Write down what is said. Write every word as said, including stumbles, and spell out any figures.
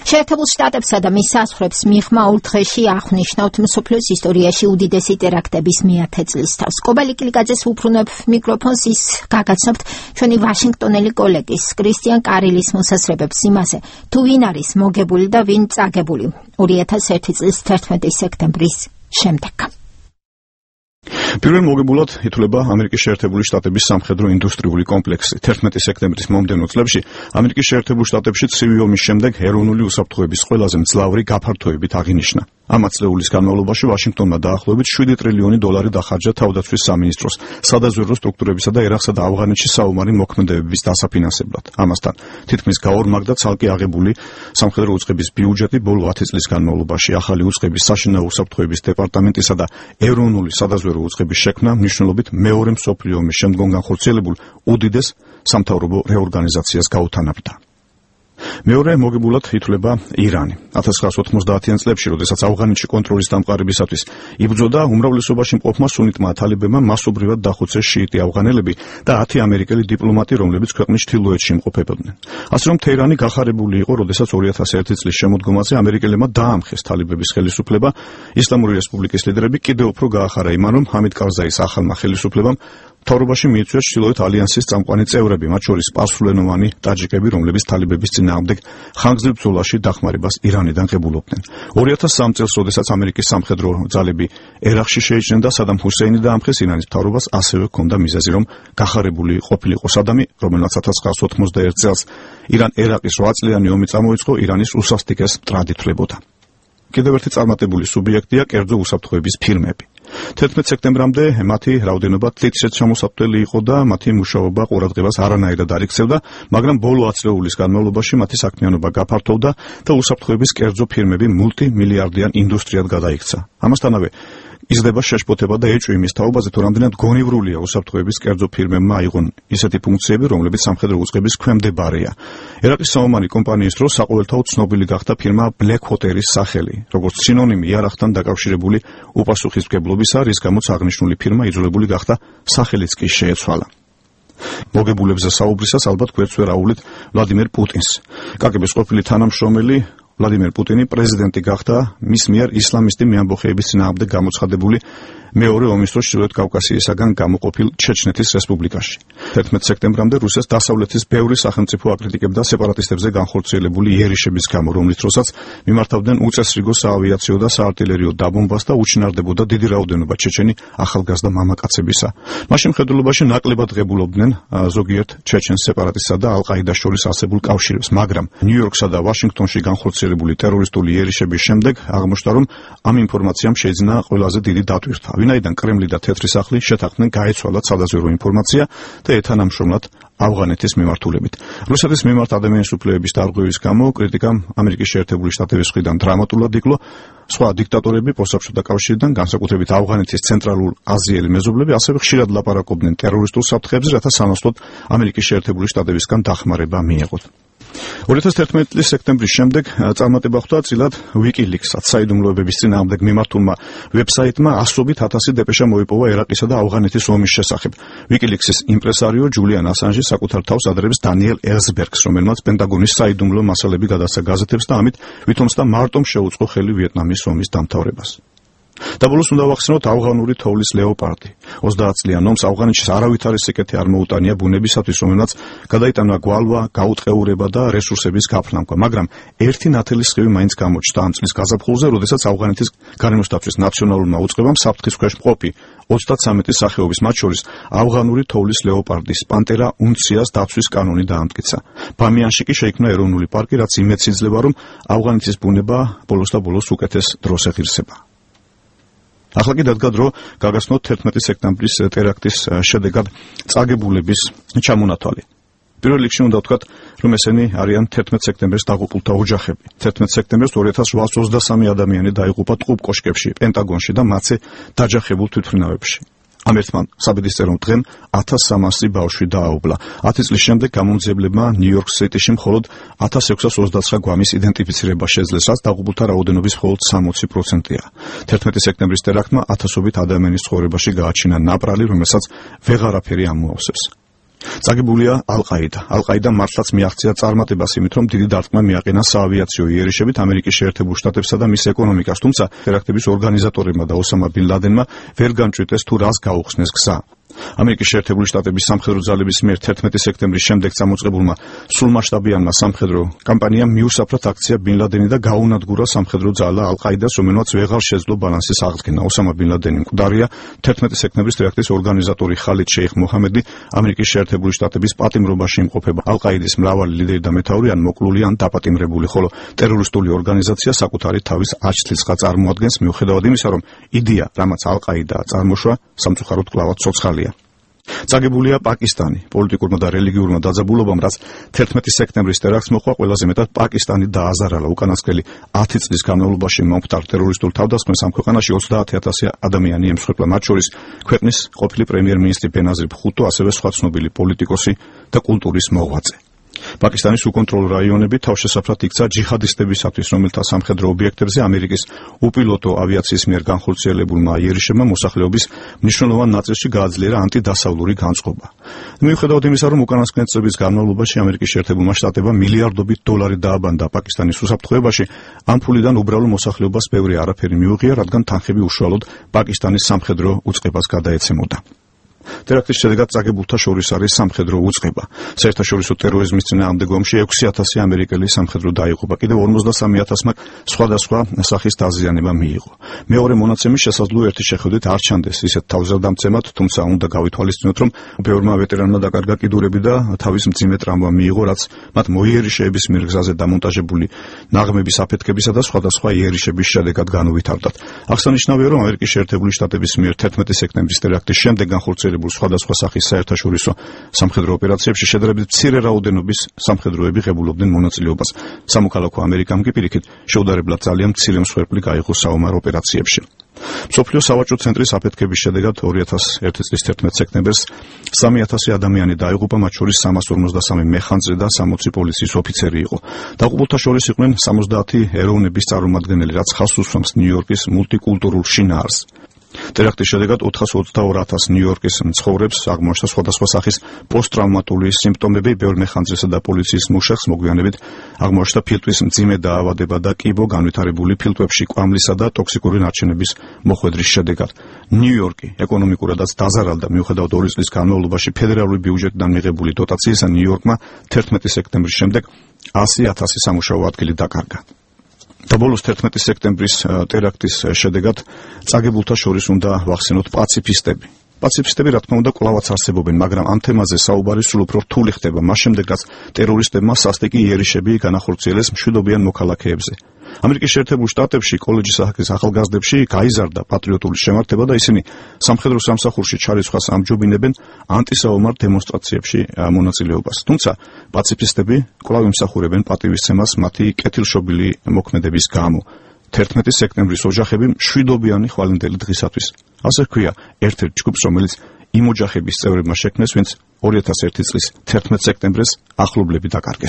შეერთებულ შტატებსა და მის საზღვრებს მიღმა ორ დღეში აღნიშნავთ მსოფლიოს ისტორიაში უდიდესი ტერაქტების მეათე წლის თავს. კობალი კილიკაძეს უბრუნებ მიკროფონს, ის გაგაცნობთ ჩვენი ვაშინგტონელი კოლეგის კრისტიან კარილის მოსაზრებებს იმაზე, თუ ვინ არის მოგებული და ვინ წაგებული ორი ათას ერთი წლის თერთმეტი სექტემბრის შემდეგ. პირველ მოგებულად ითვლება ამერიკის შეერთებული შტატების სამხედრო ინდუსტრიული კომპლექსი. თერთმეტი სექტემბრის მომდევნო წლებში ამერიკის შეერთებულ შტატებში ცივი ომის შემდეგ ეროვნული უსაფრთხოების ყველაზე მძლავრი გაფართოებით აღინიშნა. ამ ათწლეულის განმავლობაში ვაშინგტონმა დაახლოებით შვიდი ტრილიონი დოლარი დახარჯა თავდაცვის სამინისტროს, სადაზვერვო სტრუქტურებისა და ერაყსა და ავღანეთში საომარი მოქმედებების დასაფინანსებლად. ამასთან თითქმის გაორმაგდა ცალკე აღებული სამხედრო უწყების ბიუჯეტი ბოლო ათი წლის განმავლობაში. ახალი უწყების საშინაო უსაფრთხოების დეპარტამენტისა და ეროვნული სადაზვერვო უწყების შექმნა მნიშვნელობით მეორე მსოფლიო ომის შემდგომ განხორციელებულ უდიდეს სამთავრობო რეორგანიზაციას გაუთანაბდა. მეორე მოგებულად ითვლება ირანი. ათას ცხრაას ოთხმოცდაათიან წლებში, როდესაც ავღანეთში კონტროლის დამყარებისათვის იბრძოდა, უმრავლესობაში მყოფმა სუნიტმა თალებებმა მასობრივად დახოცეს შიიტი ავღანელები და ათი ამერიკელი დიპლომატი, რომლებიც ქვეყნის ჩრდილოეთში იმყოფებოდნენ. ასე რომ თეირანი გახარებული იყო, როდესაც ორი ათას ერთი წლის შემოდგომაზე ამერიკელებმა დაამხეს თალებების ხელისუფლება. ისლამური რესპუბლიკის ლიდერები კიდევ უფრო გაახარა იმან, რომ ჰამიდ კარზაის ახალმა ხელისუფლებამ მთავრობაში მიიწვია ჩრდილოეთ ალიანსის წამყვანი წევრები, მათ შორის სპარსულენოვანი ტაჯიკები, რომლებიც თალებების წინააღმდეგ ხანგრძლივ ბრძოლაში დახმარებას ირანიდან ღებულობდნენ. ორი ათას სამი წელს, როდესაც ამერიკის სამხედრო ძალები ერაყში შეიჭრნენ და სადამ ჰუსეინი დაამხეს ირანის მთავრობას, ასევე ჰქონდა მიზეზი, რომ გახარებული ყოფილიყო სადამი, რომელმაც ათას ცხრაას ოთხმოცდაერთ წელს ირან-ერაყის რვა წლიანი ომი წამოიწყო, ირანის უსასტიკეს მტრად ითვლებოდა. კიდევ ერთი წარმატებული სუბიექტია კერძო უსაფრთხოების ფირმები. თერთმეტ სექტემბრამდე მათი რაოდენობა თითქმის ჩამოსაფრთხელი იყო და მათი მუშაობა ყურადღებას არანაირად არ იქცევდა, მაგრამ ბოლო ათწლეულის განმავლობაში მათი საქმიანობა გაფართოვდა და უსაფრთხოების კერძო ფირმები მულტიმილიარდიან ინდუსტრიად გადაიქცა. ამასთანავე იზრდება შეშფოთება და ეჭვი იმის თაობაზე, თუ რამდენად გონივრულია უსაფრთხოების კერძო ფირმებმა აიღონ ისეთი ფუნქციები, რომლებიც სამხედრო უწყების ქვემდებარეა. ერაყის საომარი კომპანიის დროს საყოველთაოდ ცნობილი გახდა ფირმა Black Water-ის სახელი, როგორც სინონიმი იარაღთან დაკავშირებული უპასუხისმგებლობისა, რის გამოც აღნიშნული ფირმა იძულებული გახდა სახელიც კი შეეცვალა. მოგებულებზე საუბრისას ალბათ გვერდს ვერ აუვლით ვლადიმერ პუტინს. კაგების ყოფილი თანამშრომელი ვლადიმერ პუტინი პრეზიდენტი გახდა მის მიერ ისლამისტი მეამბოხეების წინააღმდეგ გამოცხადებული მეორე ომის დროს ჩრდილოეთ კავკასიისაგან გამოყოფილ ჩეჩნეთის რესპუბლიკაში. თერთმეტ სექტემბრამდე რუსეთს დასავლეთის ბევრი სახელმწიფო აკრიტიკებდა სეპარატისტებზე განხორციელებული იერიშების გამო, რომლის დროსაც მიმართავდნენ უწესრიგო საავიაციო და საარტილერიო დაბომბას და უჩინარდებოდა დიდი რაოდენობა ჩეჩენი ახალგაზრდა მამაკაცებისა. მას შემხედველობაში ნაკლებად ღებულობდნენ ზოგიერთ ჩეჩენს სეპარატისტსა და ალ-ყაიდას შორის არსებულ კავშირებს, მაგრამ ნიუ-იორკსა და ვაშინგტონში განხორციელებული ტერორისტული იერიშების შემდეგ აღმოჩნდა, რომ ამ ინფორმაციამ შეიძინა ყველაზე დიდი დატვირთვა. ვინაიდან კრემლი და თეთრი სახლი შეთანხმდნენ გაეცვალათ სადაზვერვო ინფორმაცია და ეთანამშრომლად ავღანეთის მიმართულებით. რუსეთის მიმართ ადამიანის უფლებების დარღვევის გამო კრიტიკამ ამერიკის შეერთებული შტატების მხრიდან დრამატულად იკლო. სხვა დიქტატორები პოსტსაბჭოთა კავშირიდან, განსაკუთრებით ავღანეთის ცენტრალურ აზიელი მეზობლები, ასევე ხშირად ლაპარაკობდნენ ტერორისტულ საფრთხეებზე, რათა სანაცვლოდ ამერიკის შეერთებული შტატებისგან დახმარება მიეღოთ. ორი ათას თერთმეტი წლის სექტემბრის შემდეგ წარმატება ხვდა წილად WikiLeaks-ად. საიდუმლოებების წინააღმდეგ მიმართულმა ვებსაიტმა ასობით ათასი დეპეშა მოიპოვა ერაყისა და ავღანეთის ომის შესახებ. WikiLeaks-ის იმპრესარიო ჯულიან ასანჟი საკუთარ თავს ადრებს დანიელ ელსბერგს, რომელმაც პენტაგონის საიდუმლო მასალები გადასცა გაზეთებს და ამით ვითომსა მარტომ შეუწყო ხელი ვიეტნამის ომის დამთავრებას. და ბოლოს უნდა ვახსენოთ ავღანური თოვლის ლეოპარდი. ოცდაათ წლიან ომს ავღანეთში არავითარი სიკეთე არ მოუტანია ბუნებისათვის, რომელმაც გადაიტანა გვალვა, გაუტყეურება და რესურსების გაფლანკვა, მაგრამ ერთი ნათელი სხივი მაინც გამოჩნდა ამ წლის გაზაფხულზე, როდესაც ავღანეთის გარემოს დაცვის ნაციონალურმა უწყებამ საფრთხის ქვეშ მყოფი ოცდათსამეტი სახეობის, მათ შორის ავღანური თოვლის ლეოპარდის პანტერა უნციას დაცვის კანონი დაამტკიცა. ბამიანში კი შეიქმნა ეროვნული პარკი, რაც იმედს იძლევა, რომ ავღანეთის ბუნება ბოლოს და ბოლოს უკეთეს დროს ეხირსება. ახლა კი დადგა დრო გაგაცნოთ თერთმეტი სექტემბრის ტერაქტის შედეგად წაგებულების ჩამონათვალი. პირველ რიგში უნდა ვთქვათ, რომ ესენი არიან თერთმეტ სექტემბრის დაღუპულთა ოჯახები. თერთმეტ სექტემბერს ორი ათას რვაას ოცდასამი ადამიანი დაიღუპა ტყუპ კოშკებში, პენტაგონში და მათზე დაჯახებულ თვითმფრინავებში. ამ ერთმან საბედისწერო დღემ ათას სამასი ბავშვი დააუბლა. ათი წლის შემდეგ გამომძიებლებმა ნიუ-იორკ სიტიში მხოლოდ ათას ექვსას ოცდაცხრა გვამის იდენტიფიცირება შეძლეს, რაც დაღუპულთა რაოდენობის მხოლოდ სამოცი პროცენტია. თერთმეტი სექტემბრის ტერაქტმა ათასობით ადამიანის ცხოვრებაში გააჩინა ნაპრალი, რომელსაც ვეღარაფერი ამოავსებს. წაგებულია ალ-ყაიდა. ალ-ყაიდამ მართლაც მიაღწია წარმატებას იმით, რომ დიდი დარტყმა მიაყენა საავიაციო იერიშებით ამერიკის შეერთებულ შტატებსა და მის ეკონომიკას, თუმცა ტერაქტების ორგანიზატორებმა და ოსამა ბინ ლადენმა ვერ განჭვიტეს თუ რას გაუხსნეს გზა. ამერიკის შეერთებული შტატების სამხედრო ძალების მიერ თერთმეტი სექტემბრის შემდეგ წამოწყებულმა სრულმასშტაბიანმა სამხედრო კამპანიამ მიუსაფრად აქცია ბინ ლადენი და გაუნადგურა სამხედრო ძალა ალ-ყაიდას, რომელმაც ვეღარ შეძლო ბალანსის აღდგენა. ოსამა ბინ ლადენი მკვდარია, თერთმეტი სექტემბრის ტერაქტის ორგანიზატორი ხალიდ შეიხ მოჰამედი ამერიკის შეერთებული შტატების პატიმრობაში იმყოფება. ალ-ყაიდის მრავალი ლიდერი და მეთაური ან მოკლული ან დაპატიმრებული, ხოლო ტერორისტული ორგანიზაცია საკუთარი თავის აჩთილსხა წარმოადგენს, მიუხედავად იმისა, რომ იდეა, რამაც ალ-ყაიდაა წარმოშვა, სამწუხაროდ კვლავაც ცოცხალია. წაგებულია პაკისტანი. პოლიტიკურმა და რელიგიურმა დაძაბულობამ, რაც თერთმეტი სექტემბრის ტერაქტს მოჰყვა, ყველაზე მეტად პაკისტანი დააზარალა. უკანასკნელი ათი წლის განმავლობაში მომხდარ ტერორისტულ თავდასხმას ამ ქვეყანაში ოცდაათი ათასი ადამიანი ემსხვერპლა, მათ შორის ქვეყნის ყოფილი პრემიერ-მინისტრი ბენაზირ ბხუტო, ასევე სხვა ცნობილი პოლიტიკოსი და კულტურის მოღვაწე. პაკისტანის უკონტროლო რაიონები თავშესაფრად იქცა ჯიჰადისტებისათვის, რომელთა სამხედრო ობიექტებზე ამერიკის უპილოტო ავიაციის მიერ განხორციელებულმა იერიშებმა მოსახლეობის მნიშვნელოვან ნაწილში გააძლიერა ანტიდასავლური განწყობა. მიუხედავად იმისა, რომ უკანასკნელი წლების განმავლობაში ამერიკის შეერთებულმა შტატებმა მილიარდობით დოლარი დააბანდა პაკისტანის უსაფრთხოებაში, ამ ფულიდან უბრალო მოსახლეობას ბევრი არაფერი მიუღია, რადგან თანხები უშუალოდ პაკისტანის სამხედრო უწყებას გადაეცემოდა. ტერაქტის შედეგად წაგებულთა შორის არის სამხედრო უწყება. საერთაშორისო ტერორიზმის წინააღმდეგ ომში ექვსი ათასი ამერიკელი სამხედრო დაიღუპა, კიდევ ორმოცდასამი ათასმა სხვადასხვა სახის დაზიანება მიიღო. მეორე მონაცემის შესაძლოა ერთი შეხედვით არ ჩანდეს ისეთ თავზრდამცემად, თუმცა უნდა გავითვალისწინოთ, რომ ბევრმა ვეტერანმა დაკარგა კიდურები და თავის მძიმე ტრამვა მიიღო, რაც მათ მოიერიშეების მიერ გზაზე დამონტაჟებული ნაღმების აფეთქებისა და სხვადასხვა იერიშების შედეგად განუვითარდათ. აღსანიშნავია, რომ ამერიკის შეერთებული შტატების მიერ თერთმეტი სექტემბრის ტერაქტის შემდეგ განხორციელებულ სხვადასხვა სახის საერთაშორისო სამხედრო ოპერაციებში შედარებით მცირე რაოდენობის სამხედროები ღებულობდნენ მონაწილეობას. სამოქალაქო ამერიკამ კი პირიქით შეუდარებლად ძალიან მცირე მსხვერპლი გაიღო საომარ ოპერაციებში. მსოფლიო სავაჭრო ცენტრის აფეთქების შედეგად ორი ათასი ერთი წლის თერთმეტი სექტემბერს სამი ათასი ადამიანი დაიღუპა, მათ შორის სამას ორმოცდასამი მეხანძრე და სამოცი პოლიციის ოფიცერი იყო. დაღუპულთა შორის იყვნენ სამოცდაათი ეროვნების წარმომადგენელი, რაც ხაზს უსვამს ნიუ-იორკის მულტიკულტურულ შინაარსს. ტერაქტის შედეგად ოთხას ოცდაორი ათასი ნიუ-იორკის მცხოვრებს აღმოჩნდა სხვადასხვა სახის პოსტტრავმატული სიმპტომები, ბევრ მეხანძრესა და პოლიციის მუშახს მოგვიანებით აღმოჩნდა ფილტვის მძიმე დაავადება და კიბო განვითარებული ფილტვებში კვამლისა და ტოქსიკური ნარჩენების მოხვედრის შედეგად. ნიუ-იორკი ეკონომიკურადაც დაზარალდა, მიუხედავად ორი წლის განმავლობაში ფედერალური ბიუჯეტიდან მიღებული დოტაციისა, ნიუ-იორკმა თერთმეტი სექტემბრის შემდეგ ასი ათასი სამუშაო ადგილი დაკარგა. და ბოლოს თერთმეტი სექტემბრის ტერაქტის შედეგად წაგებულთა შორის უნდა ვახსენოთ პაციფისტები. პაციფისტები, რა თქმა უნდა, კვლავაც არსებობენ, მაგრამ ამ თემაზე საუბარი სულ უფრო რთული ხდება მას შემდეგ, რაც ტერორისტებმა სასტიკი იერიშები განახორციელეს მშვიდობიან მოქალაქეებზე. ამერიკის შეერთებულ შტატებში კოლეჯის სახის ახალგაზრდებში გაიზარდა პატრიოტული შემართება და ისინი სამხედრო სამსახურში ჩარისხვას ამჯობინებენ ანტისაომარ დემონსტრაციებში მონაწილეობას. თუმცა პაციფისტები კვლავ იმსახურებენ პატივისცემას მათი კეთილშობილი მოქმედების გამო. თერთმეტი სექტემბრის ოჯახები მშვიდობიანი ხვალინდელი დღისათვის. ასე ჰქვია ერთ-ერთ ჯგუფს, რომელიც იმ ოჯახების წევრებმა შექმნეს, ვინც ორი ათასი ერთი წლის თერთმეტი სექტემბერს ახლობლები დაკარგეს.